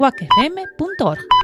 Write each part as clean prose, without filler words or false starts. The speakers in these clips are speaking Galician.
wacfm.org.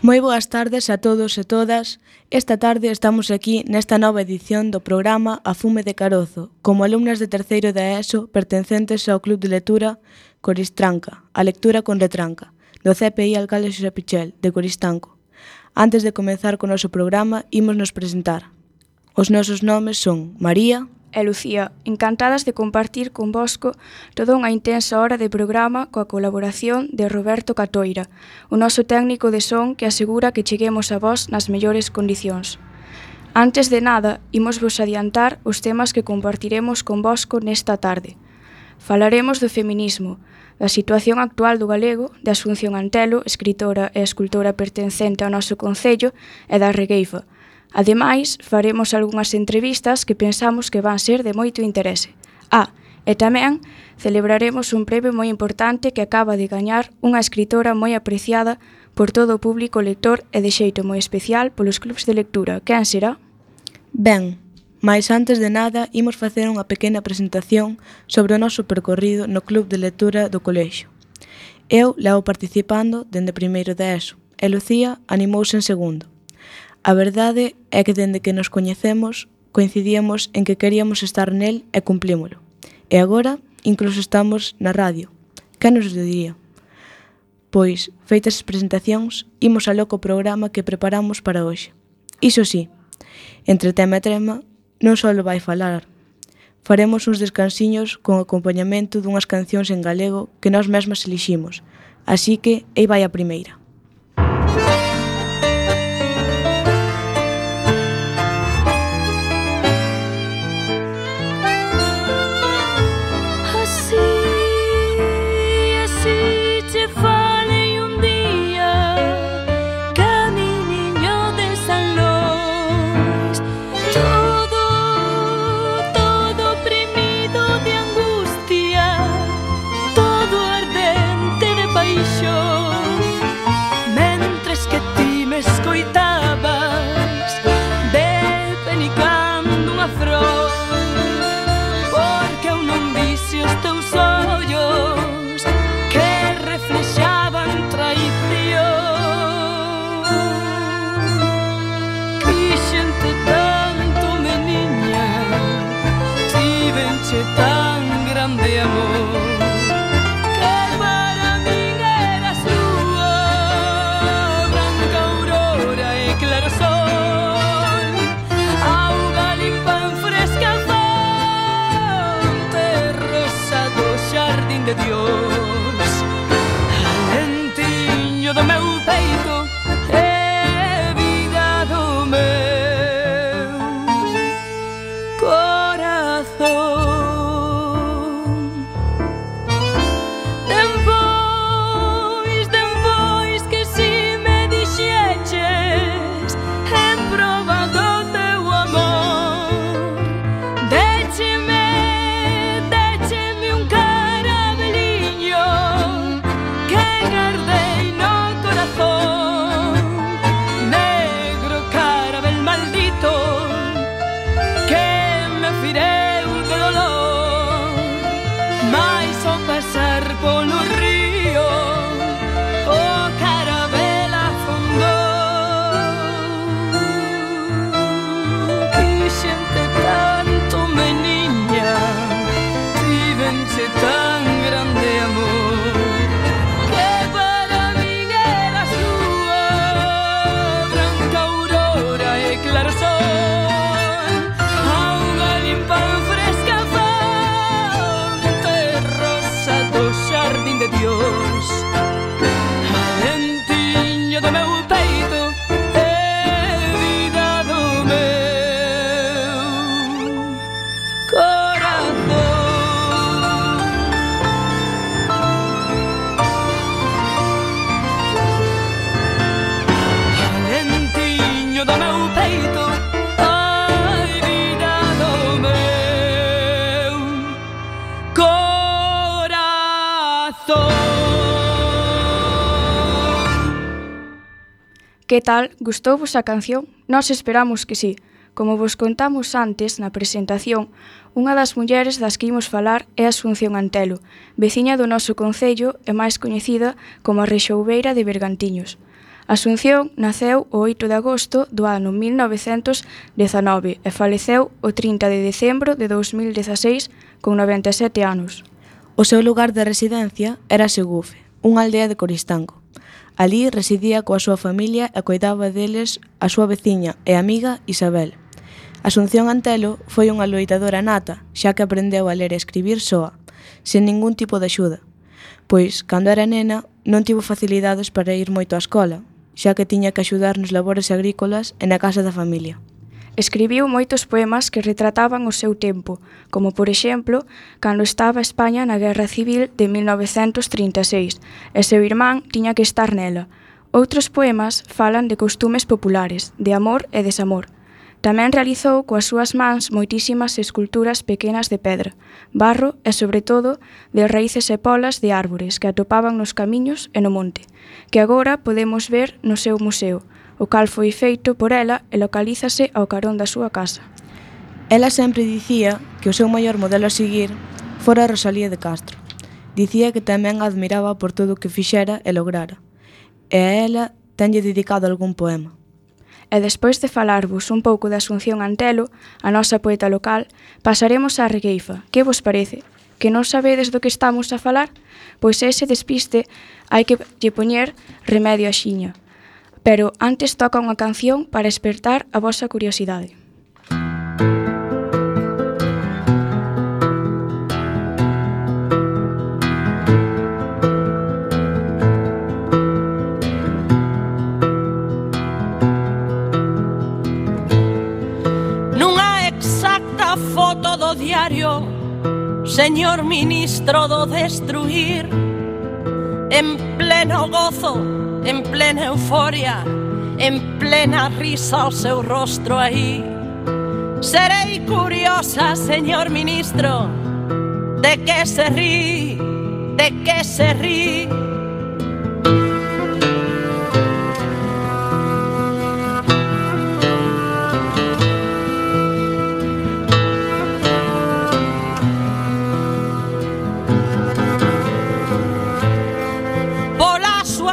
Moi boas tardes a todos e todas. Esta tarde estamos aquí nesta nova edición do programa A Fume de Carozo, como alumnas de terceiro da ESO pertencentes ao Club de Lectura Coristranca, a lectura con retranca, do CPI Alcalde Xosé Pichel, de Coristanco. Antes de comezar co noso programa, ímonos presentar. Os nosos nomes son María e Lucía, encantadas de compartir convosco toda unha intensa hora de programa coa colaboración de Roberto Catoira, o noso técnico de son que asegura que cheguemos a vós nas mellores condicións. Antes de nada, imos vos adiantar os temas que compartiremos convosco nesta tarde. Falaremos do feminismo, da situación actual do galego, de Asunción Antelo, escritora e escultora pertencente ao noso concello, e da regueifa. Ademais, faremos algunhas entrevistas que pensamos que van ser de moito interese. E tamén celebraremos un premio moi importante que acaba de gañar unha escritora moi apreciada por todo o público lector e de xeito moi especial polos clubs de lectura. Quen será? Ben, mais antes de nada, imos facer unha pequena presentación sobre o noso percorrido no club de lectura do colexio. Eu levo participando dende primeiro da ESO e Lucía animouse en segundo. A verdade é que dende que nos coñecemos coincidíamos en que queríamos estar nel e cumplímolo. E agora incluso estamos na radio. Que nos diría? Pois, feitas as presentacións, imos aló co programa que preparamos para hoxe. Iso sí, entre tema e trema, non só vai falar. Faremos uns descansiños con acompañamento dunhas cancións en galego que nós mesmas eliximos. Así que, aí vai a primeira. grande amor. De Dios, alentiño do meu peito é vida do meu corazón. Depois que si me dixeches en proba do teu amor, décheme un polo río, o carabel afondou. Quixente tanto, meniña, tivenche tan grande amor, que para min eras lúa, branca aurora e claro sol, auga limpa fresca fonte rosa do xardín de Dios, alentiño do meu peito é vida do meu corazón. Alentiño do meu peito, ai, vida do meu corazón. Que tal? Gustouvos a canción? Nós esperamos que sí. Como vos contamos antes na presentación, unha das mulleres das que imos falar é Asunción Antelo, veciña do noso concello e máis coñecida como a Rexoubeira de Bergantiños. Asunción naceu o 8 de agosto do ano 1919 e faleceu o 30 de decembro de 2016 con 97 anos. O seu lugar de residencia era Segufe, unha aldea de Coristanco. Alí residía coa súa familia e coidaba deles a súa veciña e amiga Isabel. Asunción Antelo foi unha loitadora nata, xa que aprendeu a ler e escribir soa, sen ningún tipo de axuda, pois, cando era nena, non tivo facilidades para ir moito á escola, xa que tiña que axudar nos labores agrícolas e na casa da familia. Escribiu moitos poemas que retrataban o seu tempo, como por exemplo, cando estaba España na Guerra Civil de 1936 e seu irmán tiña que estar nela. Outros poemas falan de costumes populares, de amor e desamor. Tamén realizou coas súas mans moitísimas esculturas pequenas de pedra, barro e, sobre todo, de raíces e polas de árbores que atopaban nos camiños e no monte, que agora podemos ver no seu museo, o cal foi feito por ela e localízase ao carón da súa casa. Ela sempre dicía que o seu maior modelo a seguir fora Rosalía de Castro. Dicía que tamén a admiraba por todo o que fixera e lograra, e a ela tenlle dedicado algún poema. E despois de falarvos un pouco de Asunción Antelo, a nosa poeta local, pasaremos á regueifa. Que vos parece? Que non sabedes do que estamos a falar? Pois ese despiste hai que lle poñer remedio a xiña. Pero antes toca unha canción para despertar a vosa curiosidade. Nunha exacta foto do diario, señor ministro do destruir, en pleno gozo, en plena euforia, en plena risa o seu rostro aí. Serei curiosa, señor ministro, de que se rí, de que se rí.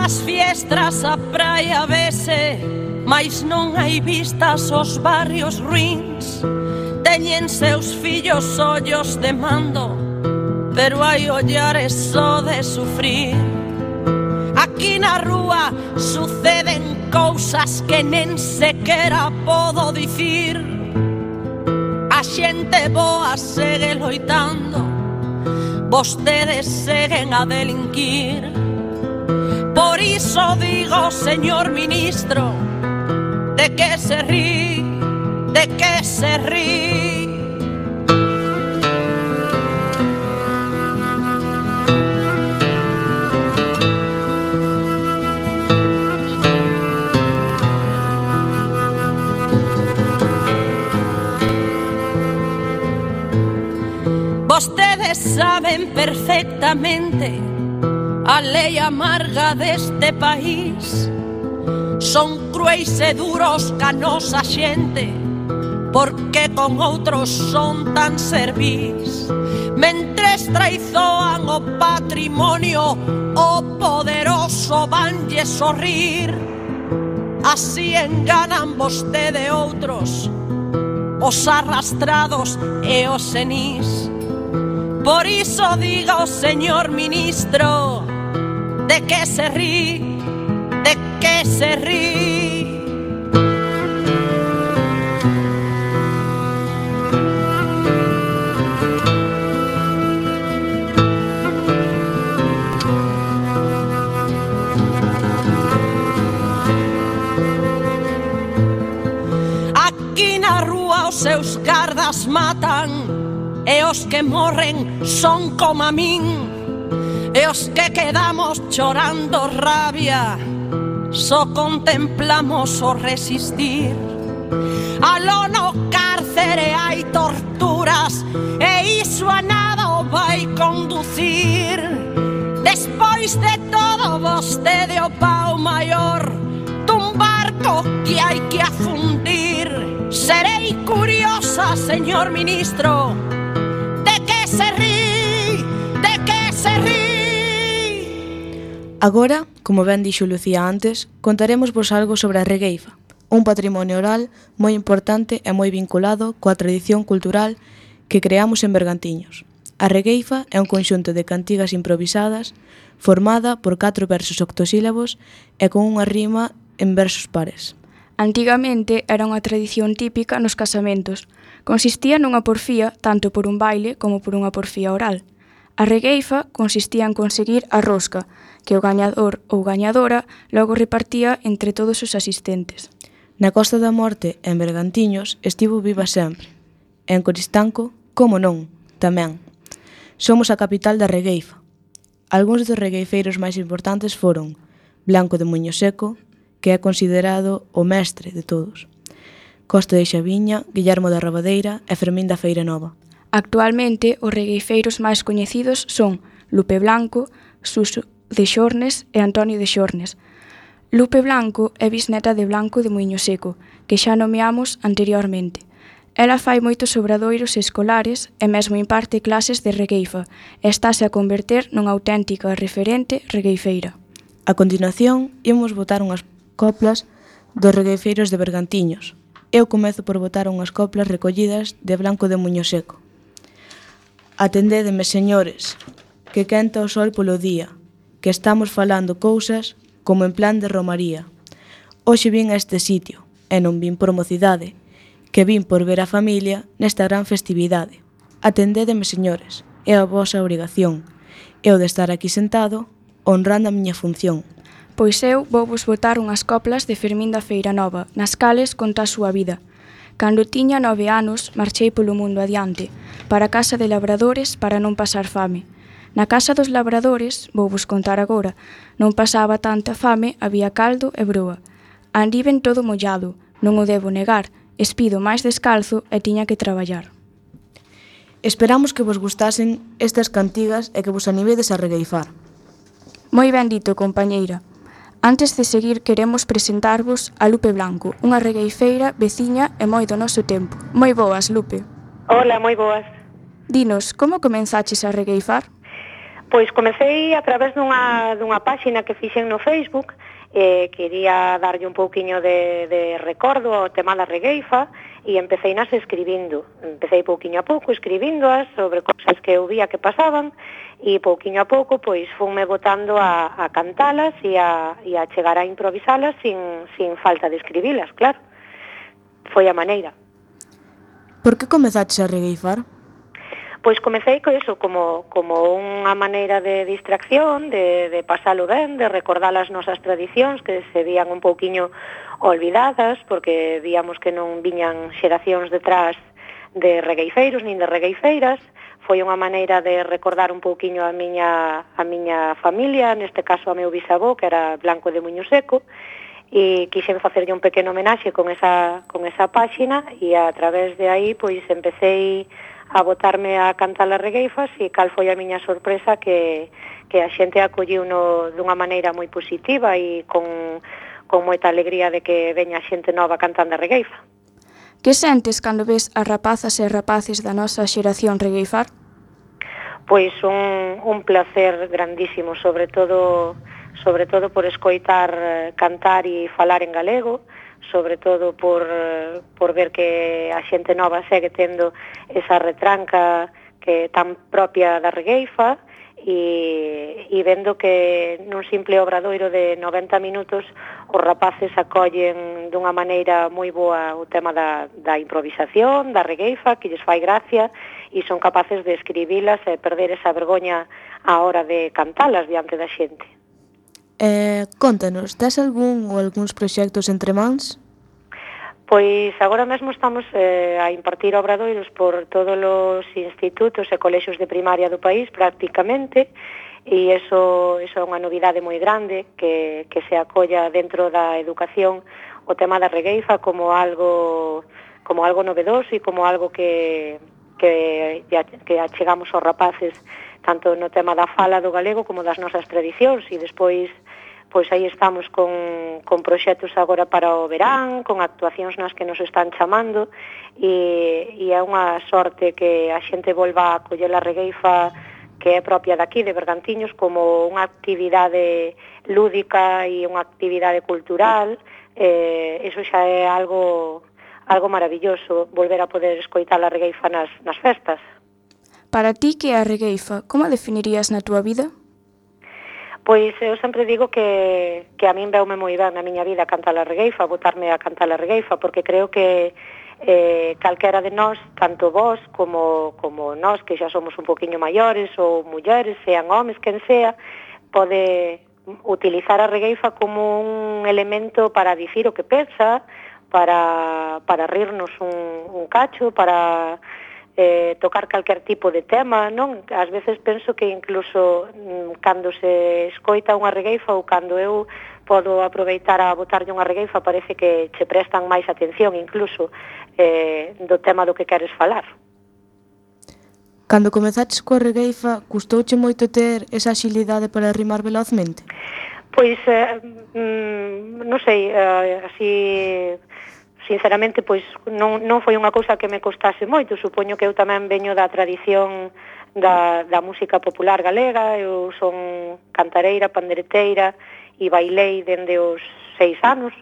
As fiestras a praia vese, mais non hai vistas os barrios ruins. Teñen seus fillos ollos de mando, pero hai ollares só de sufrir. Aquí na rúa suceden cousas que nen sequera podo dicir. A xente boa segue loitando, vostedes seguen a delinquir. Por iso digo, señor ministro, de que se rí, de que se rí. Vostedes saben perfectamente a lei amarga deste país. Son cruéis e duros ca nosa xente, porque con outros son tan servís. Mentres traizoan o patrimonio, o poderoso vanlle sorrir. Así enganan vostede outros, os arrastrados e os senís. Por iso diga o señor ministro, de que se rí, de que se rí. Aquí na rúa os seus gardas matan, e os que morren son como a min, e os que quedamos chorando rabia só contemplamos o resistir. Aló no cárcere hai torturas, e iso a nada o vai conducir. Despois de todo vostede o pau maior dun barco que hai que afundir. Serei curiosa, señor ministro, se rí, de que se rí. Agora, como ben dixo Lucía antes, contaremosvos algo sobre a regueifa, un patrimonio oral moi importante e moi vinculado coa tradición cultural que creamos en Bergantiños. A regueifa é un conxunto de cantigas improvisadas formada por 4 versos octosílabos e con unha rima en versos pares. Antigamente era unha tradición típica nos casamentos. Consistía nunha porfía tanto por un baile como por unha porfía oral. A regueifa consistía en conseguir a rosca, que o gañador ou gañadora logo repartía entre todos os asistentes. Na Costa da Morte, en Bergantiños, estivo viva sempre. En Coristanco, como non, tamén. Somos a capital da regueifa. Algúns dos regueifeiros máis importantes foron Blanco de Muño Seco, que é considerado o mestre de todos, Costa de Xaviña, Guillermo da Rabadeira e Fermín da Feira Nova. Actualmente, os regueifeiros máis coñecidos son Lupe Blanco, Suso de Xornes e Antonio de Xornes. Lupe Blanco é bisneta de Blanco de Muiño Seco, que xa nomeamos anteriormente. Ela fai moitos obradoiros escolares e mesmo imparte clases de regueifa e estáse a converter nunha auténtica referente regueifeira. A continuación, imos botar unhas coplas dos regueifeiros de Bergantiños. Eu comezo por botar unhas coplas recollidas de Blanco de Muño Seco. Atendédeme, señores, que quenta o sol polo día, que estamos falando cousas como en plan de romaría. Hoxe vin a este sitio, e non vin por mocidade, que vin por ver a familia nesta gran festividade. Atendédeme, señores, é a vosa obrigación. Eu de estar aquí sentado, honrando a miña función. Pois eu vou vos botar unhas coplas de Fermín da Feira Nova, nas cales conta a súa vida. Cando tiña 9 anos, marchei polo mundo adiante, para a casa de labradores para non pasar fame. Na casa dos labradores, vou vos contar agora, non pasaba tanta fame, había caldo e broa. Andiven todo mollado, non o debo negar, espido máis descalzo e tiña que traballar. Esperamos que vos gustasen estas cantigas e que vos animedes a regueifar. Moi ben dito, compañeira. Antes de seguir, queremos presentarvos a Lupe Blanco, unha regueifeira veciña e moi do noso tempo. Moi boas, Lupe. Hola, moi boas. Dinos, como comenzaches a regueifar? Pois comecei a través dunha páxina que fixen no Facebook. Quería darlle un pouquiño de recordo ao tema da regueifa e empecé nas escribindo. Empecé pouquiño a pouco escribindoas sobre cosas que eu vía que pasaban, e pouquiño a pouco pois funme botando a cantalas e a chegar a improvisalas sin falta de escribilas, claro. Foi a maneira. Por que comezaches a regueifar? Pois comecei co iso como unha maneira de distracción, de pasalo ben, de recordar as nosas tradicións que se vían un pouquiño olvidadas, porque víamos que non viñan xeracións detrás de regueifeiros nin de regueifeiras. Foi unha maneira de recordar un pouquiño a miña familia, neste caso a meu bisavó, que era Blanco de Muño Seco, e quixen facerlle un pequeno homenaxe con esa páxina, e a través de aí pois empecé a botarme a cantar as regueifas, e cal foi a miña sorpresa que a xente acolliuno dunha maneira moi positiva e con moita alegría de que veña xente nova cantando a regueifa. Que sentes cando ves as rapazas e rapaces da nosa xeración regueifar? Pois un placer grandísimo, sobre todo por escoitar cantar e falar en galego, sobre todo por ver que a xente nova segue tendo esa retranca que tan propia da regueifa, e vendo que nun simple obradoiro de 90 minutos os rapaces acollen dunha maneira moi boa o tema da improvisación, da regueifa, que lles fai gracia, e son capaces de escribilas e perder esa vergoña á hora de cantalas diante da xente. Contanos, tes algún ou algúns proxectos entre mans? Pois agora mesmo estamos a impartir obradoiros por todos os institutos e colexios de primaria do país prácticamente, e iso é unha novidade moi grande, que se acolla dentro da educación o tema da regueifa como algo novedoso e como algo que achegamos aos rapaces, tanto no tema da fala do galego como das nosas tradicións, e despois pois aí estamos con proxectos agora para o verán, con actuacións nas que nos están chamando, e é unha sorte que a xente volva a coller a regueifa, que é propia daqui, de Bergantiños, como unha actividade lúdica e unha actividade cultural. Eso xa é algo maravilloso, volver a poder escoitar a regueifa nas festas. Para ti, que é a regueifa? Como a definirías na túa vida? Pois eu sempre digo que a min veume moi ben na miña vida cantar a regueifa, botarme a cantar a regueifa, porque creo que calquera de nós, tanto vós como nós, que xa somos un poquinho maiores, ou mulleres, sean homes, quen sea, pode utilizar a regueifa como un elemento para dicir o que pensa, para rirnos un cacho, para tocar calquer tipo de tema, non? Ás veces penso que incluso cando se escoita unha regueifa, ou cando eu podo aproveitar a botarlle unha regueifa, parece que che prestan máis atención incluso do tema do que queres falar. Cando comezaches coa regueifa, custouche moito ter esa axilidade para rimar velozmente? Pois, non sei, así sinceramente, pois non foi unha cousa que me costase moito. Supoño que eu tamén veño da tradición da música popular galega. Eu son cantareira, pandereteira e bailei dende os 6 anos.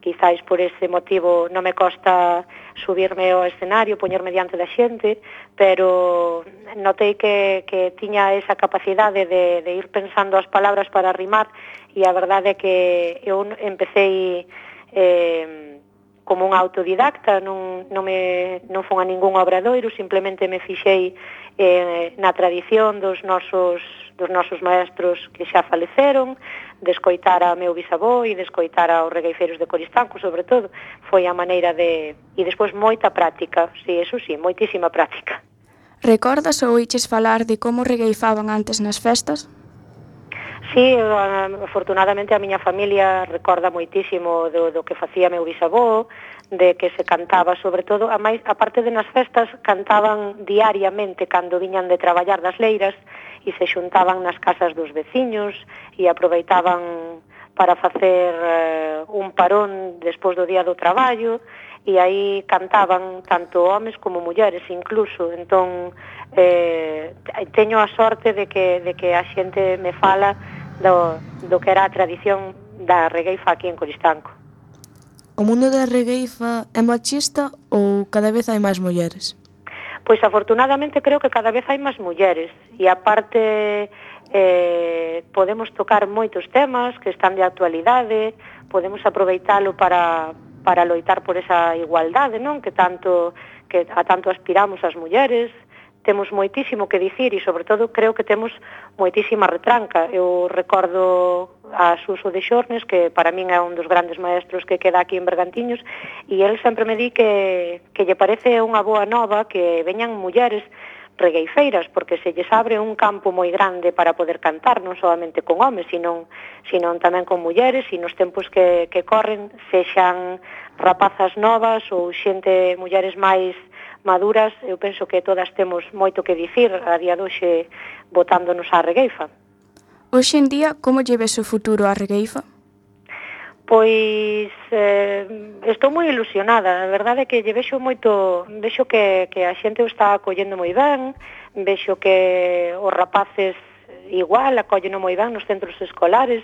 Quizáis por ese motivo non me costa subirme ao escenario, poñerme diante da xente, pero notei que tiña esa capacidade de ir pensando as palabras para rimar, e a verdade é que eu empecé como un autodidacta, non fun a ningún obradoiro, simplemente me fixei na tradición dos nosos maestros que xa faleceron, de escoitar a meu bisavó e de escoitar aos regueifeiros de Coristanco, sobre todo. Foi a maneira de... E despois moita práctica, sí, eso sí, moitísima práctica. Recordas ou oiches falar de como regueifaban antes nas festas? Sí, afortunadamente a miña familia recorda moitísimo do que facía meu bisavó, de que se cantaba, sobre todo, a parte de nas festas, cantaban diariamente cando viñan de traballar das leiras, e se xuntaban nas casas dos veciños e aproveitaban para facer un parón despois do día do traballo, e aí cantaban tanto homes como mulleres incluso. Entón, teño a sorte de que a xente me fala do que era a tradición da regueifa aquí en Coristanco. o mundo da regueifa é machista ou cada vez hai máis mulleres? Pois afortunadamente creo que cada vez hai máis mulleres e aparte podemos tocar moitos temas que están de actualidade, podemos aproveitalo para loitar por esa igualdade, non? Que a tanto aspiramos as mulleres. Temos moitísimo que dicir e, sobre todo, creo que temos moitísima retranca. Eu recordo a Suso de Xornes, que para min é un dos grandes maestros que queda aquí en Bergantiños, e el sempre me di que lle parece unha boa nova que veñan mulleres regueifeiras, porque se lles abre un campo moi grande para poder cantar, non solamente con homes, sino tamén con mulleres, e nos tempos que corren, sexan rapazas novas ou mulleres máis maduras, eu penso que todas temos moito que dicir a día de hoxe botándonos á regueifa. Hoxe en día, como lle ves o futuro á regueifa? Pois estou moi ilusionada, a verdade é que lle vexo que a xente o está acollendo moi ben, vexo que os rapaces igual acolleno moi ben nos centros escolares,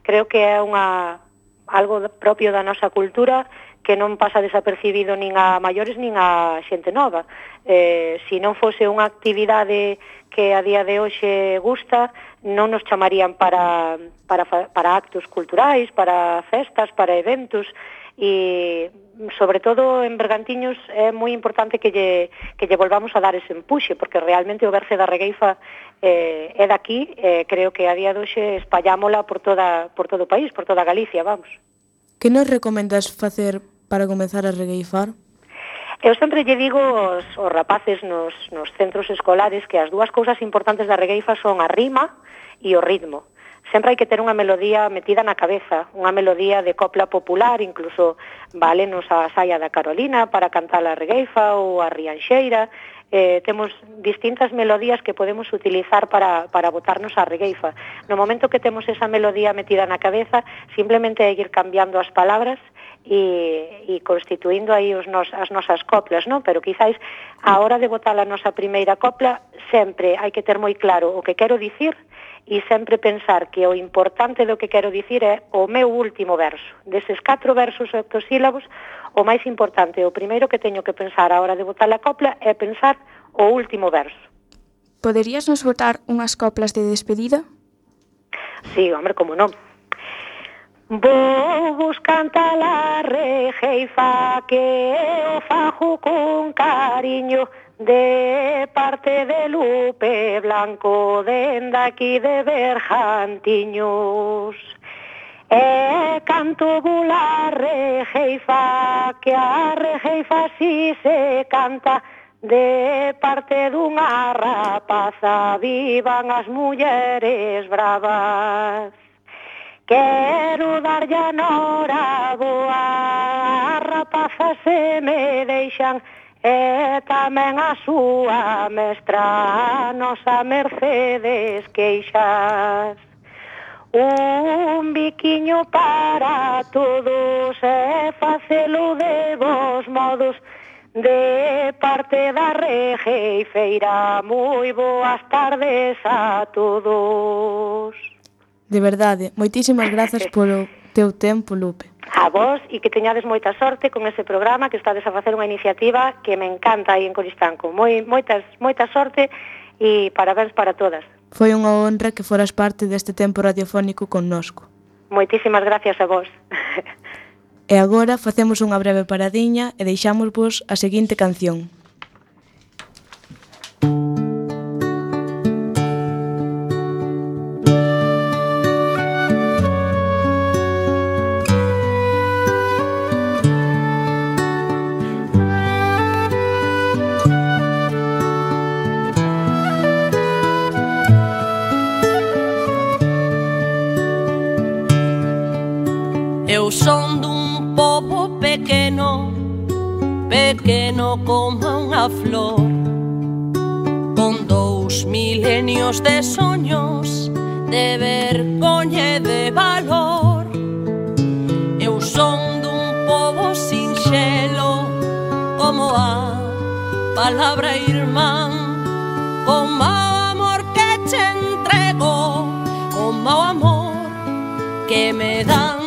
creo que é algo propio da nosa cultura que non pasa desapercibido nin a maiores nin a xente nova. Se non fose unha actividade que a día de hoxe gusta, non nos chamarían para actos culturais, para festas, para eventos, e sobre todo en Bergantiños é moi importante que lle volvamos a dar ese empuxe, porque realmente o verse da regueifa é daqui, creo que a día de hoxe espallámola por todo o país, por toda Galicia, vamos. Que nos recomendas facer para comezar a regueifar? Eu sempre lle digo aos rapaces nos centros escolares que as dúas cousas importantes da regueifa son a rima e o ritmo. Sempre hai que ter unha melodía metida na cabeza, unha melodía de copla popular, incluso válenos a saia da Carolina para cantar a regueifa ou a rianxeira. Temos distintas melodías que podemos utilizar para botarnos a regueifa. No momento que temos esa melodía metida na cabeza, simplemente é ir cambiando as palabras e constituindo aí as nosas coplas, non? Pero quizáis a hora de botar a nosa primeira copla sempre hai que ter moi claro o que quero dicir e sempre pensar que o importante do que quero dicir é o meu último verso. Deses 4 versos octosílabos, o máis importante, o primeiro que teño que pensar a hora de botar a copla é pensar o último verso. Poderías nos botar unhas coplas de despedida? Sí, hombre, como non. Vos canta la regueifa que o fajo con cariño de parte de Lupe Blanco dende aquí de Bergantiños. Canto la regueifa que a regueifa si se canta de parte dunha rapaza, vivan as mulleres bravas. Quero darlle a noraboa, as rapazas se me deixan, e tamén a súa mestra, a nosa Mercedes Queixas. Un biquiño para todos e facelo de vos modos, de parte da regueifeira, moi boas tardes a todos. De verdade, moitísimas grazas polo teu tempo, Lupe. A vos, e que teñades moita sorte con ese programa, que estades a facer unha iniciativa que me encanta aí en Coristanco. Moita sorte e parabéns para todas. Foi unha honra que foras parte deste tempo radiofónico connosco. Moitísimas gracias a vos. E agora facemos unha breve paradiña e deixámosvos a seguinte canción. Eu son dun pobo pequeno, pequeno como unha flor, con 2 milenios de soños, de vergoña e de valor. Eu son dun pobo sinxelo, como a palabra irmán, como o amor que che entrego, como o amor que me dan.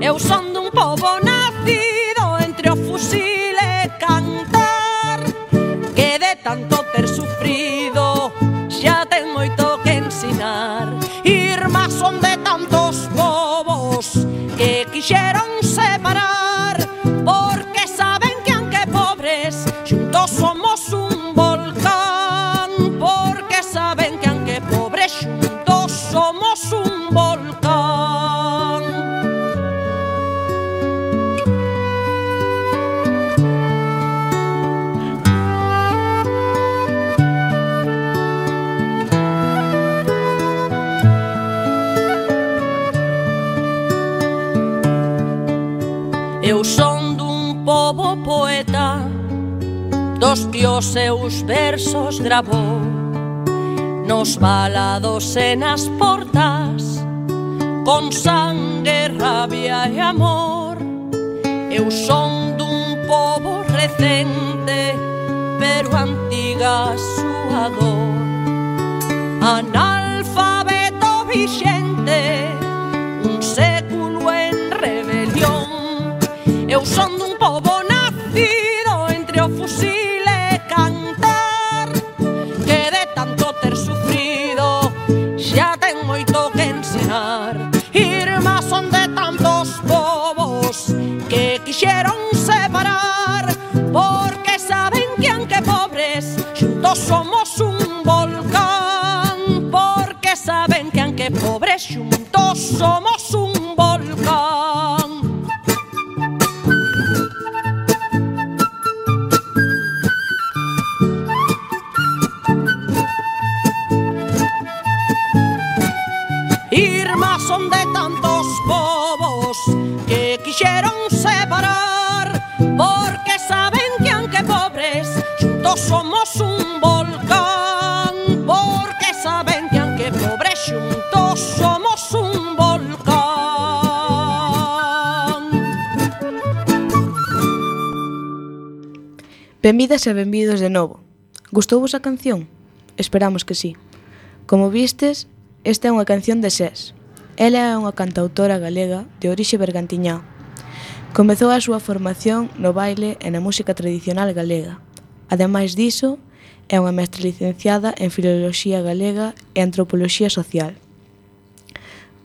Eu son dun pobo nacido tanto ter sufrido xa ten moito que ensinar. Irmás son de tantos povos que quixeron separar, porque saben que aunque pobres xuntos somos un volcán, porque saben que aunque pobres xuntos somos un volcán. Eu son dun pobo poeta, dos que os seus versos gravou nos valados e nas portas, con sangue, rabia e amor. Eu son dun pobo recente, pero antiga súa dor. Analfabeto vixente, un século en rebelión. Eu son dun pobo nacido entre o fusil e cantar, que de tanto ter sufrido xa ten moito que ensinar. Irmás son de tantos povos que quixeron separar, porque saben que aunque pobres xuntos somos un volcán, porque saben que aunque pobres xuntos somos un volcán. Irmás son de tantos povos que quixeron separar, porque saben que aunque pobres xuntos somos un volcán, porque saben que aunque pobres xuntos somos un volcán. Benvidas e benvidos de novo. Gustouvos a canción? Esperamos que sí. Como vistes, esta é unha canción de Sés. Ela é unha cantautora galega de orixe bergantiñá. Comezou a súa formación no baile e na música tradicional galega. Ademais diso, é unha mestra licenciada en Filoloxía Galega e Antropoloxía Social.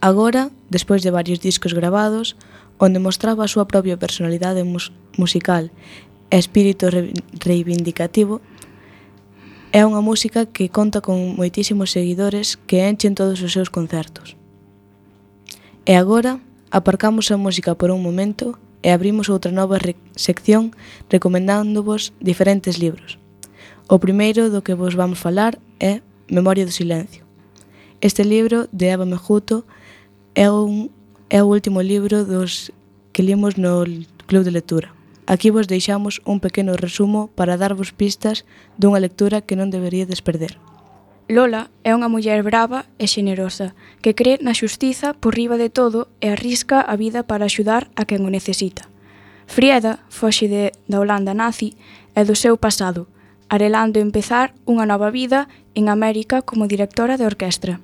Agora, despois de varios discos gravados, onde mostraba a súa propia personalidade musical e espírito reivindicativo, é unha música que conta con moitísimos seguidores que enchen todos os seus concertos. E agora, aparcamos a música por un momento e abrimos outra nova sección recomendándovos diferentes libros. O primeiro do que vos vamos falar é Memoria do Silencio. Este libro de Eva Mejuto é o último libro dos que limos no Club de Lectura. Aquí vos deixamos un pequeno resumo para darvos pistas dunha lectura que non deberíades perder. Lola é unha muller brava e xenerosa que cree na xustiza por riba de todo e arrisca a vida para axudar a quen o necesita. Frieda foxe da Holanda nazi e do seu pasado, arelando empezar unha nova vida en América como directora de orquestra.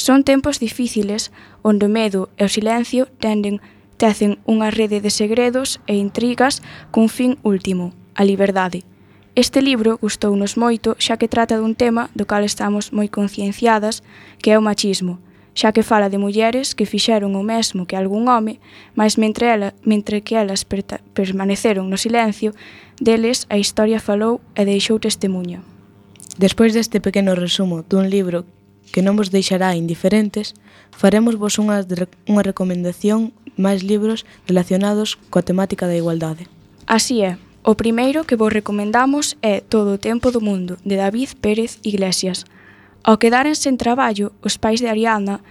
Son tempos difíciles onde o medo e o silencio tecen unha rede de segredos e intrigas cun fin último, a liberdade. Este libro gustounos moito xa que trata dun tema do cal estamos moi concienciadas, que é o machismo, xa que fala de mulleres que fixeron o mesmo que algún home, mas mentre que elas permaneceron no silencio, deles a historia falou e deixou testemunha. Despois deste pequeno resumo dun libro que non vos deixará indiferentes, faremosvos unha recomendación máis libros relacionados coa temática da igualdade. Así é, o primeiro que vos recomendamos é Todo o tempo do mundo, de David Pérez Iglesias. Ao quedaren sen traballo, os pais de Ariadna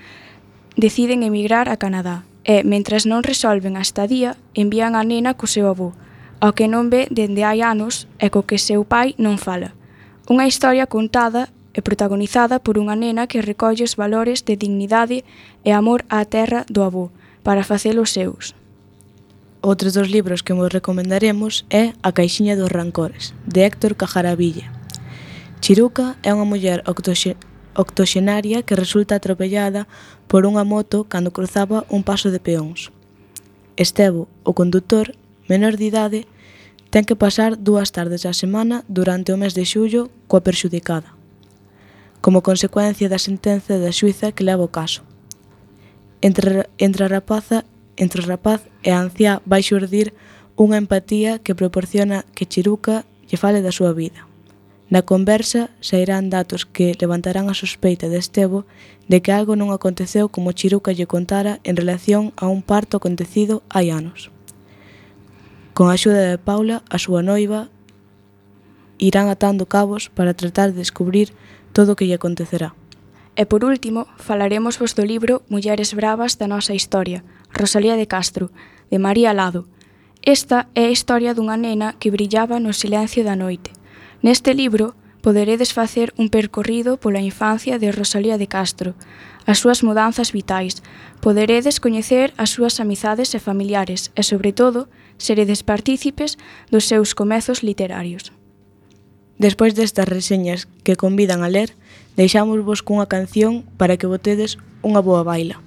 deciden emigrar a Canadá e, mentres non resolven a estadía, envían a nena co seu avó, ao que non ve dende hai anos e co que seu pai non fala. Unha historia contada e protagonizada por unha nena que recolle os valores de dignidade e amor á terra do avó, para facelos seus. Outros dos libros que vos recomendaremos é A caixiña dos rancores, de Héctor Cajaraville. Chiruca é unha muller octoxenaria que resulta atropellada por unha moto cando cruzaba un paso de peóns. Estevo, o condutor, menor de idade, ten que pasar 2 tardes á semana durante o mes de xullo coa perxudicada, como consecuencia da sentenza da xuíza que leva o caso. Entre o rapaz e a anciá vai xurdir unha empatía que proporciona que Chiruca lle fale da súa vida. Na conversa sairán datos que levantarán a sospeita de Estevo de que algo non aconteceu como Chiruca lle contara en relación a un parto acontecido hai anos. Con a axuda de Paula, a súa noiva, irán atando cabos para tratar de descubrir todo o que lle acontecerá. E por último, falaremos vos do libro Mulleres bravas da nosa historia, Rosalía de Castro, de María Lado. Esta é a historia dunha nena que brillaba no silencio da noite. Neste libro poderedes facer un percorrido pola infancia de Rosalía de Castro, as súas mudanzas vitais, poderedes coñecer as súas amizades e familiares e, sobre todo, seredes partícipes dos seus comezos literarios. Despois destas reseñas que convidan a ler, deixámosvos cunha canción para que botedes unha boa baila.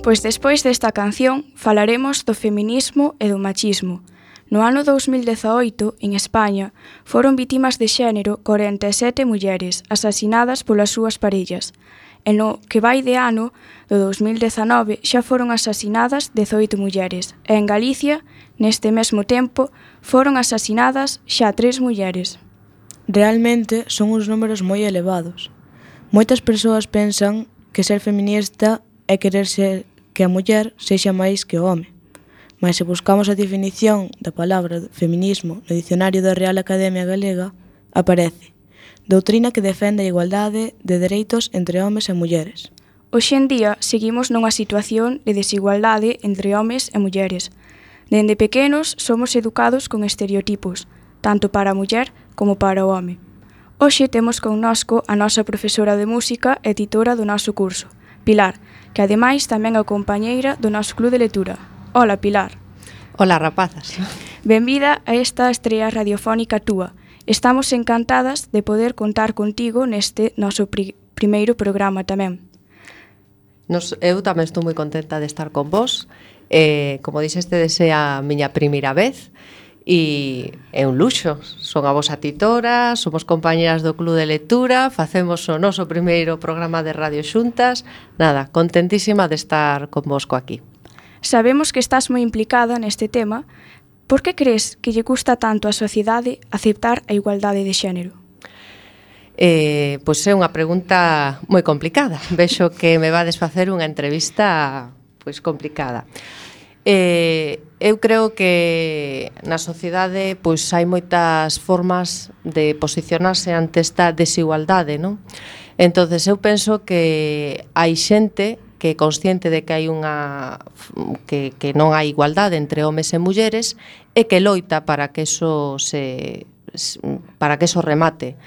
Pois despois desta canción falaremos do feminismo e do machismo. No ano 2018, en España, foron vítimas de xénero 47 mulleres asasinadas polas súas parellas. E no que vai de ano, do 2019, xa foron asasinadas 18 mulleres. E en Galicia, neste mesmo tempo, foron asasinadas xa 3 mulleres. Realmente son uns números moi elevados. Moitas persoas pensan que ser feminista é querer ser que a muller sexa máis que o home. Mas se buscamos a definición da palabra feminismo no dicionario da Real Academia Galega, aparece doutrina que defende a igualdade de dereitos entre homes e mulleres. Hoxe en día seguimos nunha situación de desigualdade entre homes e mulleres. Dende pequenos somos educados con estereotipos, tanto para a muller como para o home. Hoxe temos connosco a nosa profesora de música e titora do noso curso, Pilar, que ademais tamén é compañeira do noso club de lectura. Hola, Pilar. Hola, rapazas. Benvida a esta estrea radiofónica túa. Estamos encantadas de poder contar contigo neste noso primeiro programa tamén. Eu tamén estou moi contenta de estar con vos. Como dixeste, é a miña primeira vez e é un luxo. Son a vosa titora, somos compañeras do club de lectura, facemos o noso primeiro programa de radio xuntas. Nada, contentísima de estar convosco aquí. Sabemos que estás moi implicada neste tema. Por que crees que lle custa tanto á sociedade aceptar a igualdade de xénero? Pois é unha pregunta moi complicada. Vexo que me vades facer unha entrevista pois complicada. Eu creo que na sociedade pois hai moitas formas de posicionarse ante esta desigualdade, non? Entonces eu penso que hai xente que é consciente de que hai que non hai igualdade entre homes e mulleres e que loita para que eso remate.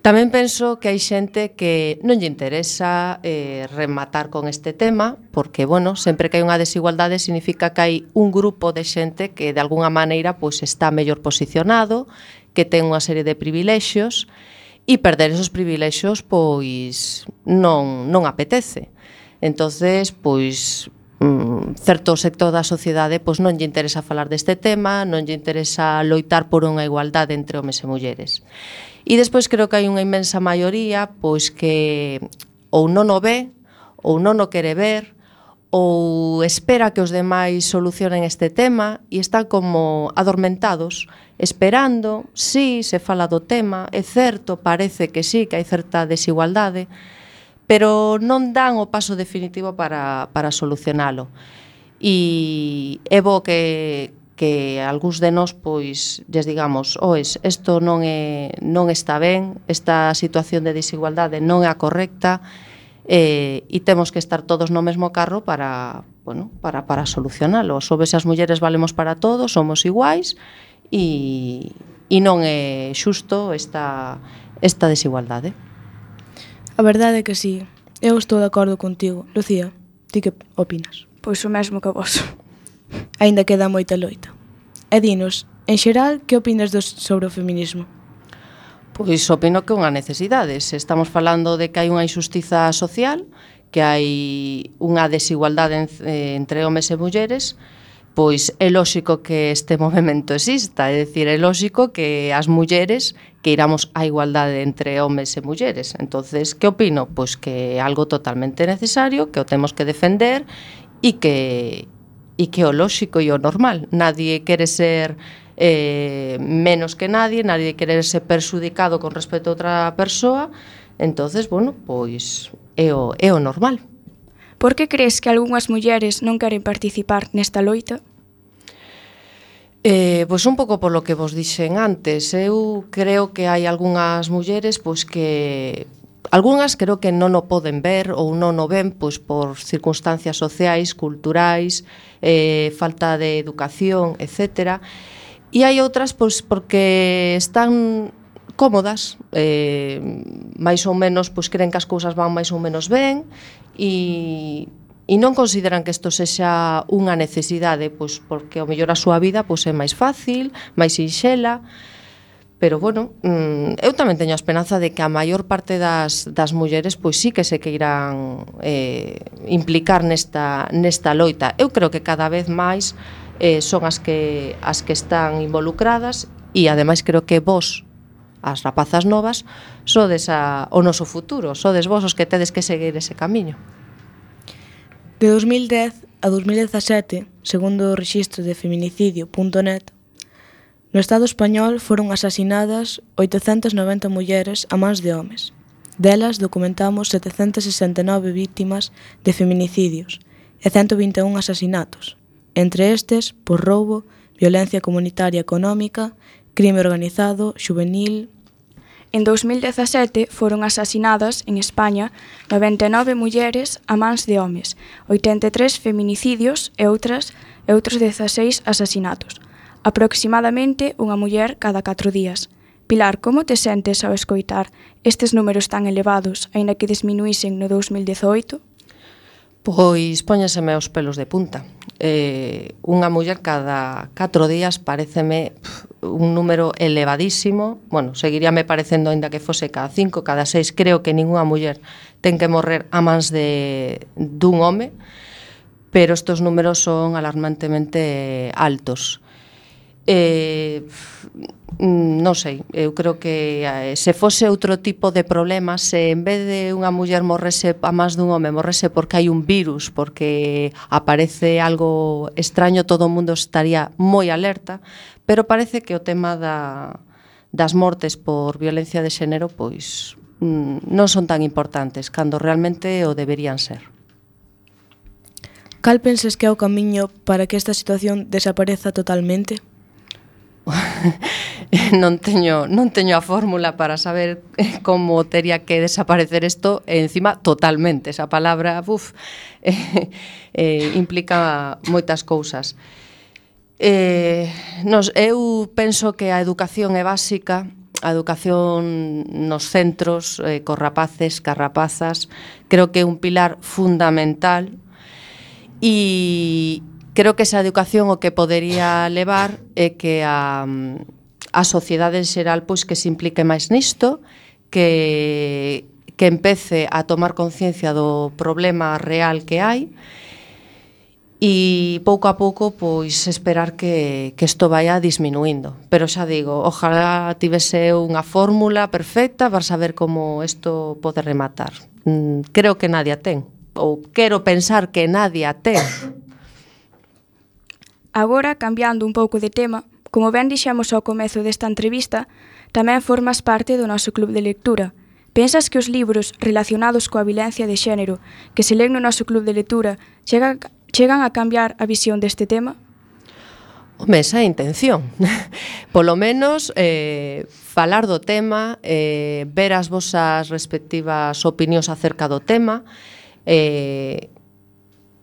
Tamén penso que hai xente que non lle interesa rematar con este tema, porque, bueno, sempre que hai unha desigualdade significa que hai un grupo de xente que de alguna maneira pois está mellor posicionado, que ten unha serie de privilexios, e perder esos privilexios pois non apetece. Entonces, pois certo sector da sociedade pois non lle interesa falar deste tema, non lle interesa loitar por unha igualdade entre homes e mulleres. E despois creo que hai unha inmensa maioría pois que ou non o ve, ou non o quere ver, ou espera que os demais solucionen este tema e están como adormentados, esperando, sí, se fala do tema, é certo, parece que sí, que hai certa desigualdade, pero non dan o paso definitivo para solucionalo. E é bo que algúns de nós pois lles digamos, oes, isto non está ben, esta situación de desigualdade non é a correcta, e temos que estar todos no mesmo carro para solucionalo. Os homes e as mulleres valemos para todos, somos iguais e non é xusto esta desigualdade. A verdade é que sí. Eu estou de acordo contigo. Lucía, ti que opinas? Pois o mesmo que vos. Aínda queda moita loita. E dinos, en xeral, que opinas sobre o feminismo? Pois opino que é unha necesidade. Se estamos falando de que hai unha injustiza social, que hai unha desigualdade entre homes e mulleres, pois é lóxico que este movimento exista, é dicir, é lóxico que as mulleres queiramos a igualdade entre homes e mulleres. Entonces, que opino? Pois que é algo totalmente necesario, que o temos que defender e que o lóxico e o normal. Nadie quere ser menos que nadie quere ser perxudicado con respecto a outra persoa. Entonces, bueno, pois é o normal. Por que crees que algunhas mulleres non queren participar nesta loita? Pois un pouco polo que vos dixen antes. Eu creo que hai algunhas mulleres pois que algunhas creo que non o poden ver ou non o ven pois por circunstancias sociais, culturais, falta de educación, etcétera. E hai outras pois porque están cómodas, máis ou menos pois creen que as cousas van máis ou menos ben e non consideran que isto sexa unha necesidade, pois porque ao mellor a súa vida pois é máis fácil, máis sinxela, Pero, bueno, eu tamén teño a esperanza de que a maior parte das mulleres pois sí que se queiran implicar nesta loita. Eu creo que cada vez máis son as que están involucradas e, ademais, creo que vos, as rapazas novas, sodes o noso futuro, sodes vos os que tedes que seguir ese camiño. De 2010 a 2017, segundo o rexistro de feminicidio.net, no Estado español foron asasinadas 890 mulleres a mans de homes. Delas documentamos 769 víctimas de feminicidios e 121 asasinatos, entre estes por roubo, violencia comunitaria económica, crime organizado, xuvenil. En 2017 foron asasinadas en España 99 mulleres a mans de homes, 83 feminicidios e outros 16 asasinatos. Aproximadamente unha muller cada 4 días. Pilar, como te sentes ao escoitar estes números tan elevados, aínda que disminuísen no 2018? Pois póñaseme os pelos de punta. Unha muller cada 4 días pareceme un número elevadísimo. Bueno, seguiríame parecendo aínda que fose cada 5, cada 6. Creo que ningunha muller ten que morrer a mans dun home, pero estes números son alarmantemente altos. Non sei, eu creo que se fose outro tipo de problema, se en vez de unha muller morrese a máis dun home, morrese porque hai un virus, porque aparece algo extraño, todo o mundo estaría moi alerta, pero parece que o tema das mortes por violencia de xénero pois non son tan importantes cando realmente o deberían ser. Cal pensas que é o camiño para que esta situación desapareza totalmente? Non teño a fórmula para saber como tería que desaparecer isto, e encima totalmente, esa palabra implica moitas cousas. Eu penso que a educación é básica, a educación nos centros, cos rapaces, cas rapazas, creo que é un pilar fundamental, e creo que esa educación o que podería levar é que a sociedade en xeral pois que se implique máis nisto, que empece a tomar conciencia do problema real que hai e pouco a pouco pois esperar que isto vaya disminuindo. Pero xa digo, ojalá tivese unha fórmula perfecta para saber como isto pode rematar. Creo que nadie a ten, ou quero pensar que nadie a ten. Agora, cambiando un pouco de tema, como ben dixemos ao comezo desta entrevista, tamén formas parte do noso club de lectura. Pensas que os libros relacionados coa violencia de xénero que se len no noso club de lectura chegan a cambiar a visión deste tema? Home, esa é a intención. Polo menos, falar do tema, ver as vosas respectivas opinións acerca do tema,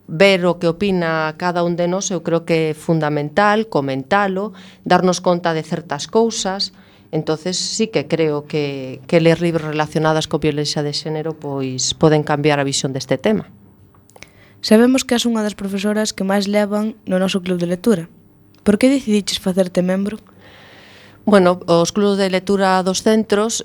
ver o que opina cada un de nós, eu creo que é fundamental, comentalo, darnos conta de certas cousas. Entonces sí que creo que ler libros relacionadas co violencia de xénero pois poden cambiar a visión deste tema. Sabemos que és unha das profesoras que máis levan no noso club de lectura. Por que decidiches facerte membro? Bueno, os clubs de lectura dos centros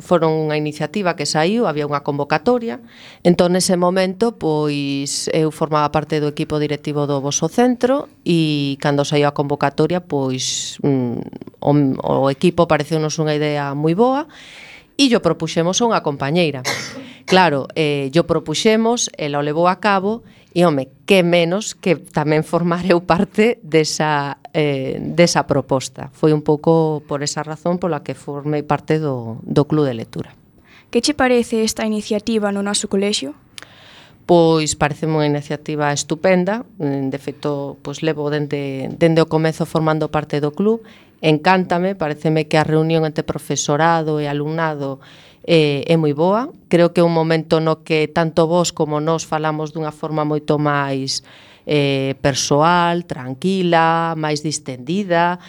foron unha iniciativa que saiu, había unha convocatoria, entón nese momento pois eu formaba parte do equipo directivo do voso centro e cando saiu a convocatoria pois o equipo pareceunos unha idea moi boa e yo propuxemos a unha compañeira. Claro, yo propuxemos, ela o levou a cabo e, home, que menos que tamén formar eu parte desa proposta. Foi un pouco por esa razón pola que formei parte do club de lectura. Que che parece esta iniciativa no noso colexio? Pois pareceme unha iniciativa estupenda, de feito, pois levo dende o comezo formando parte do club, encántame, pareceme que a reunión entre profesorado e alumnado é moi boa. Creo que é un momento no que tanto vos como nós falamos dunha forma moito máis persoal, tranquila, máis distendida.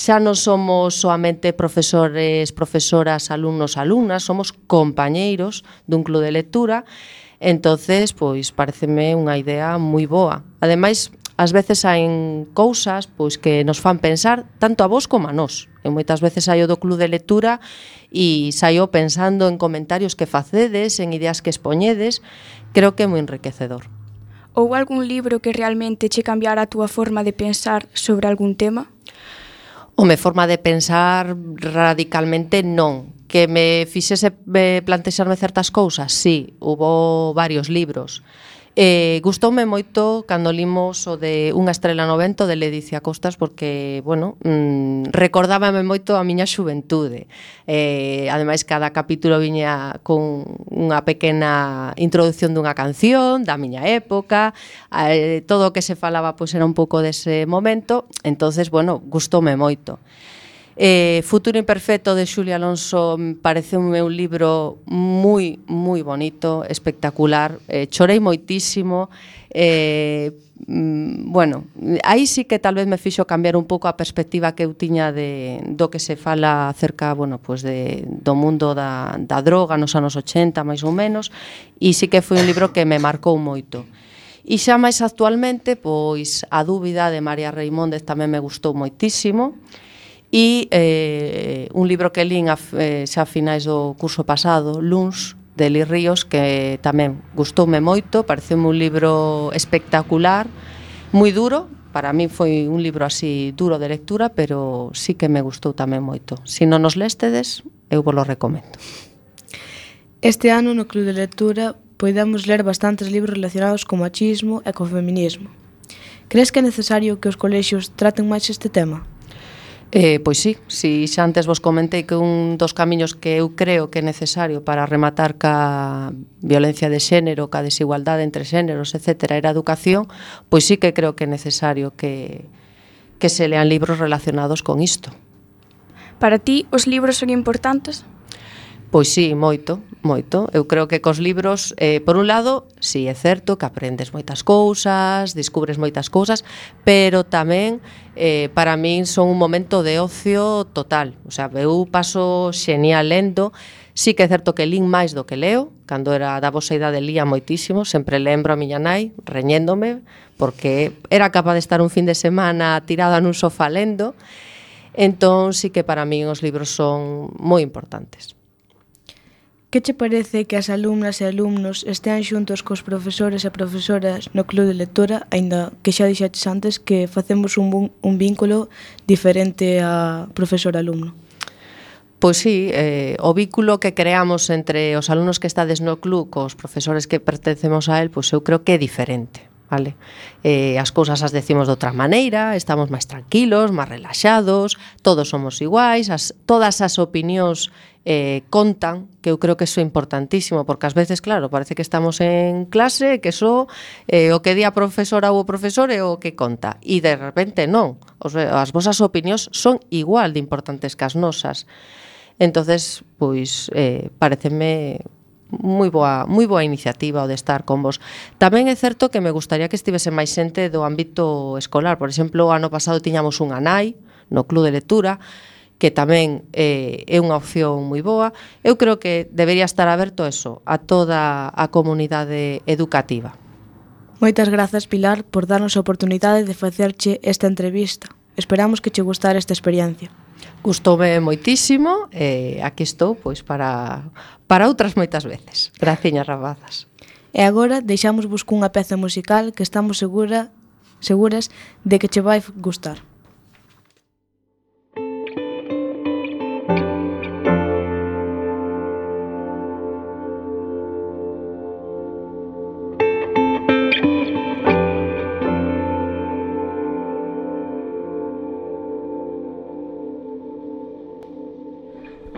Xa non somos soamente profesores, profesoras, alumnos, alumnas, somos compañeiros dun club de lectura. Entonces, pois pareceme unha idea moi boa. Ademais, ás veces hai cousas pois que nos fan pensar tanto a vos como a nós. E moitas veces saio do club de lectura e saio pensando en comentarios que facedes, en ideas que expoñedes. Creo que é moi enriquecedor. Ou algún libro que realmente che cambiara a túa forma de pensar sobre algún tema? Home, forma de pensar radicalmente non. Que me fixese plantexarme certas cousas, sí, hubo varios libros. Gustoume moito cando limos o de Unha estrela no vento de Ledicia Costas porque, bueno, recordábame moito a miña xuventude. Ademais, cada capítulo viña con unha pequena introducción dunha canción da miña época, todo o que se falaba pois era un pouco dese momento, entonces, bueno, gustoume moito. Futuro imperfecto de Xulia Alonso pareceume un libro moi, moi bonito, espectacular, chorei moitísimo, bueno, aí sí que tal vez me fixo cambiar un pouco a perspectiva que eu tiña do que se fala acerca, bueno, pues do mundo da droga nos anos 80, máis ou menos, e sí que foi un libro que me marcou moito. E xa máis actualmente, pois, A dúbida de María Reimóndez tamén me gustou moitísimo, e un libro que lín xa a finais do curso pasado, Luns, de Eli Ríos, que tamén gustoume moito, pareceume un libro espectacular, moi duro, para min foi un libro así duro de lectura, pero sí que me gustou tamén moito. Se non nos léstedes, eu vos lo recomendo. Este ano no Club de Lectura podemos ler bastantes libros relacionados co machismo e co feminismo. Crees que é necesario que os colexios traten máis este tema? Pois sí, xa antes vos comentei que un dos camiños que eu creo que é necesario para rematar ca violencia de xénero, ca desigualdade entre xéneros, etc., era a educación, pois sí que creo que é necesario que se lean libros relacionados con isto. Para ti, os libros son importantes? Pois sí, moito, moito. Eu creo que cos libros, por un lado, sí, é certo que aprendes moitas cousas, descubres moitas cousas, pero tamén, para min, son un momento de ocio total. O sea, eu paso xenial lendo. Sí que é certo que lín máis do que leo. Cando era da vosa idade lía moitísimo. Sempre lembro a miña nai reñéndome, porque era capaz de estar un fin de semana tirada nun sofá lendo. Entón, sí que para min os libros son moi importantes. Que che parece que as alumnas e alumnos estean xuntos cos profesores e profesoras no Club de Lectura, aínda que xa dixaches antes que facemos un vínculo diferente a profesor-alumno? Pois sí, o vínculo que creamos entre os alumnos que estades no club cos profesores que pertencemos a él, pois eu creo que é diferente. Vale? As cousas as decimos de outra maneira, estamos máis tranquilos, máis relaxados, todos somos iguais, todas as opinións contan, que eu creo que iso é importantísimo, porque ás veces, claro, parece que estamos en clase, que o que di a profesora ou o profesor é o que conta, e de repente non, as vosas opinións son igual de importantes que as nosas. Entonces, pois, pareceme moi boa iniciativa o de estar con vos. Tamén é certo que me gustaría que estivese máis xente do ámbito escolar. Por exemplo, o ano pasado tiñamos unha nai no Club de Lectura, que tamén é unha opción moi boa. Eu creo que debería estar aberto eso a toda a comunidade educativa. Moitas grazas, Pilar, por darnos a oportunidade de facerche esta entrevista. Esperamos que che gustara esta experiencia. Gustoume moitísimo e aquí estou pois para outras moitas veces. Graciñas, rapazas. E agora deixámosvos cunha peza musical que estamos seguras de que che vai gustar.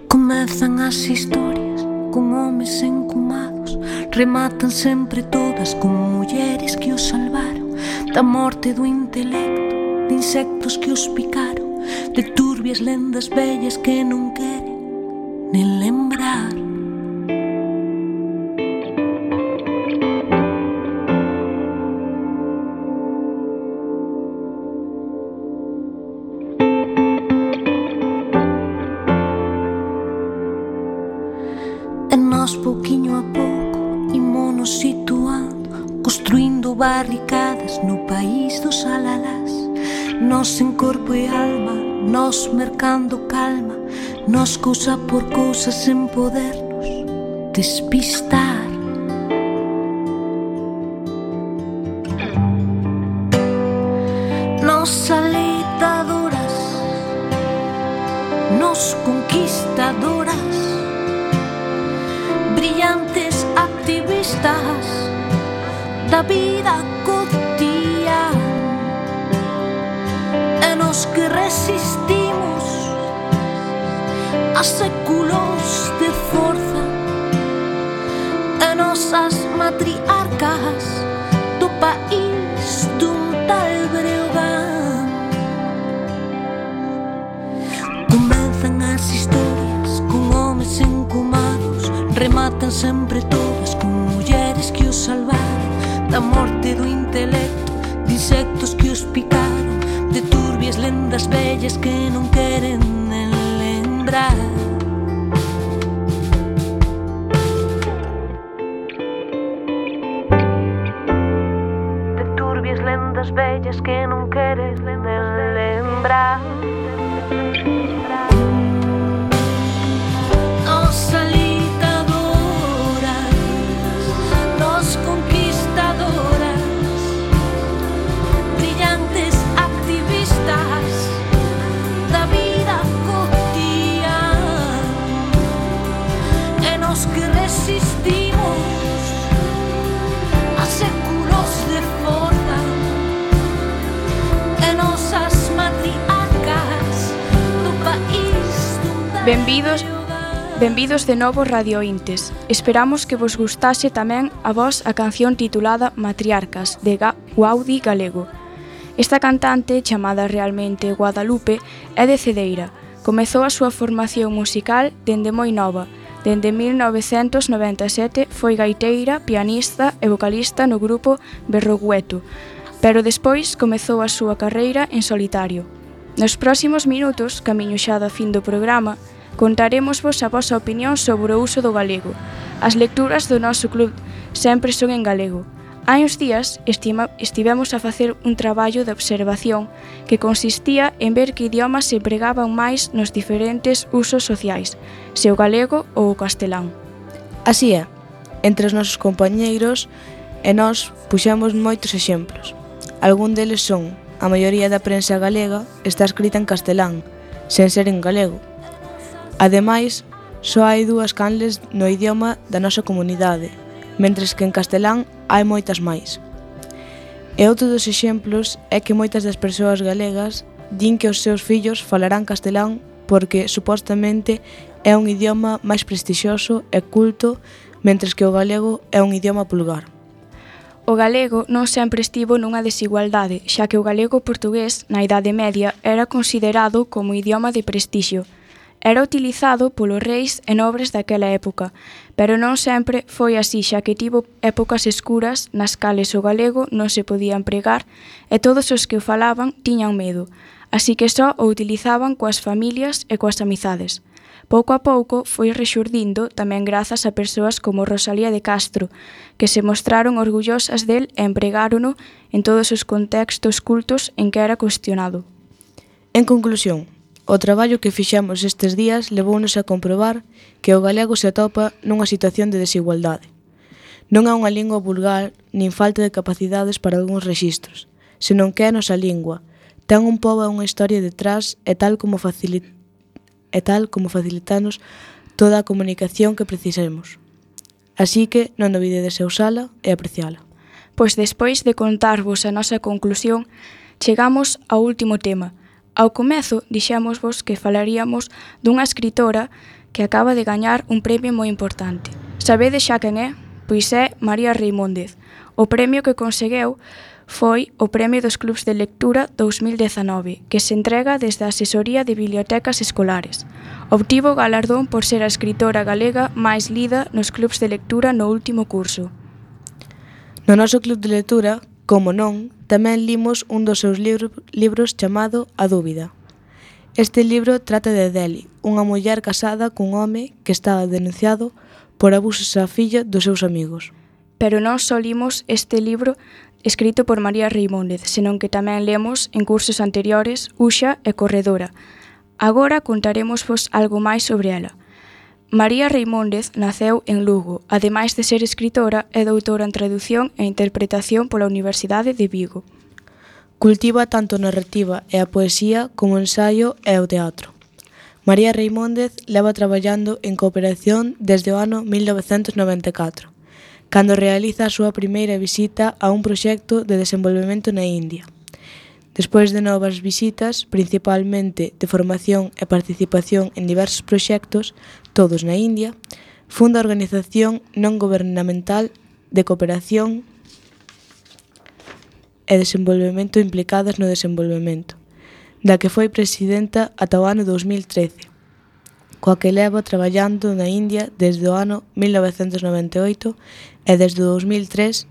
Comezan as historias con homes encumados, rematan sempre todas con mulleres que os salvaron da morte do intelecto, de insectos que os picaron, de turbias lendas vellas que non queren nen lembrar. Pouquiño a pouco, ímonos situando, construindo barricadas no país dos alalás. Nós en corpo e alma, nós mercando calma, nós cousa por cousa sen podernos despistar. Nós alitadoras, nós conquistadoras, brillantes activistas da vida cotidiana. E nós que resistimos a séculos de forza, e nosas matriarcas do país dun tal Breogán. Comenzan as historias con homes encumados, rematan sempre todas con mulleres que os salvaron da morte do intelecto, de insectos que os picaron, de turbias lendas vellas que non queren nen lembrar. De turbias lendas vellas que non queres nen lembrar. Nos alitadoras, nos conquistadoras, brillantes activistas da vida cotidiana, e nos que resistimos a séculos de forza, e nosas matriarcas do país dun tal Benvidos de novo radiointes. Esperamos que vos gustase tamén a vos a canción titulada Matriarcas, de Guaudi Galego. Esta cantante, chamada realmente Guadalupe, é de Cedeira. Comezou a súa formación musical dende moi nova. Dende 1997 foi gaiteira, pianista e vocalista no grupo Berrogueto, pero despois comezou a súa carreira en solitario. Nos próximos minutos, camiño xa do fin do programa, contaremosvos a vosa opinión sobre o uso do galego. As lecturas do noso club sempre son en galego. Hai uns días estivemos a facer un traballo de observación que consistía en ver que idiomas se empregaban máis nos diferentes usos sociais, se o galego ou o castelán. Así é, entre os nosos compañeiros e nós puxemos moitos exemplos. Algún deles son: a maioría da prensa galega está escrita en castelán, sen ser en galego. Ademais, só hai 2 canles no idioma da nosa comunidade, mentres que en castelán hai moitas máis. E outro dos exemplos é que moitas das persoas galegas din que os seus fillos falarán castelán porque, supostamente, é un idioma máis prestixioso e culto, mentres que o galego é un idioma vulgar. O galego non sempre estivo nunha desigualdade, xa que o galego portugués, na Idade Media, era considerado como idioma de prestixio. Era utilizado polos reis e nobres daquela época, pero non sempre foi así, xa que tivo épocas escuras nas cales o galego non se podía empregar e todos os que o falaban tiñan medo, así que só o utilizaban coas familias e coas amizades. Pouco a pouco foi rexurdindo tamén grazas a persoas como Rosalía de Castro, que se mostraron orgullosas del e empregárono en todos os contextos cultos en que era cuestionado. En conclusión, o traballo que fixemos estes días levounos a comprobar que o galego se atopa nunha situación de desigualdade. Non é unha lingua vulgar nin falta de capacidades para algúns rexistros, senón que é a nosa lingua, ten un pobo e unha historia detrás e tal como facilitanos toda a comunicación que precisemos. Así que non olvidedes usala e apreciala. Pois despois de contarvos a nosa conclusión, chegamos ao último tema. Ao comezo dixémosvos que falaríamos dunha escritora que acaba de gañar un premio moi importante. Sabedes xa quen é? Pois é María Reimóndez. O premio que consegueu foi o Premio dos Clubs de Lectura 2019, que se entrega desde a Asesoría de Bibliotecas Escolares. Obtivo o galardón por ser a escritora galega máis lida nos clubs de lectura no último curso. No noso club de lectura, como non, tamén limos un dos seus libros chamado A Dúbida. Este libro trata de Deli, unha muller casada cun home que estaba denunciado por abusos á filla dos seus amigos. Pero non só limos este escrito por María Reimóndez, senón que tamén lemos en cursos anteriores Uxa e Corredora. Agora contaremosvos algo máis sobre ela. María Reimóndez naceu en Lugo, ademais de ser escritora, é doutora en tradución e interpretación pola Universidade de Vigo. Cultiva tanto a narrativa e a poesía como o ensaio e o teatro. María Reimóndez leva traballando en cooperación desde o ano 1994, cando realiza a súa primeira visita a un proxecto de desenvolvemento na India. Despois de novas visitas, principalmente de formación e participación en diversos proxectos, todos na India, funda a organización non gobernamental de cooperación e desenvolvemento implicadas no desenvolvemento, da que foi presidenta ata o ano 2013, coa que leva traballando na India desde o ano 1998 e desde o 2003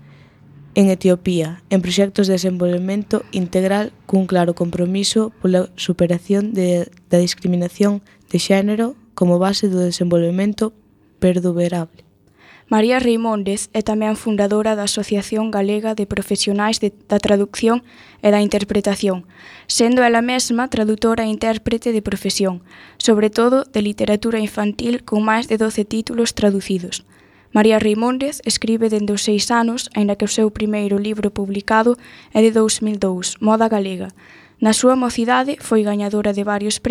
en Etiopía, en proxectos de desenvolvemento integral cun claro compromiso pola superación da discriminación de xénero como base do desenvolvemento perduverable. María Reimóndez é tamén fundadora da Asociación Galega de Profesionais da Traducción e da Interpretación, sendo ela mesma tradutora e intérprete de profesión, sobre todo de literatura infantil con máis de 12 títulos traducidos. María Reimóndez escribe dende os 6 anos, aínda que o seu primeiro libro publicado é de 2002, Moda Galega. Na súa mocidade foi gañadora de varios premios